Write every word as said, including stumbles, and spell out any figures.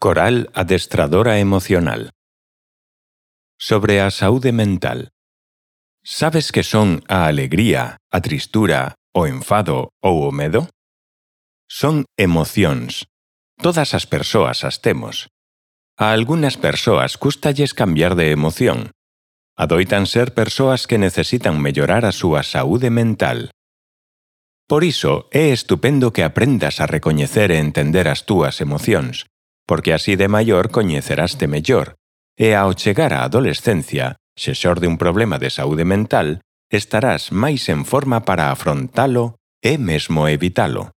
Coral adestradora emocional. Sobre a saúde mental. Sabes que son a alegría, a tristura, o enfado ou o medo? Son emocións. Todas as persoas as temos. A algunhas persoas cústalles cambiar de emoción. Adoitan ser persoas que necesitan mellorar a súa saúde mental. Por iso é estupendo que aprendas a recoñecer e entender as túas emocións, porque así de maior coñeceraste mellor, e ao chegar á adolescencia, se xorde un problema de saúde mental, estarás máis en forma para afrontalo e mesmo evitalo.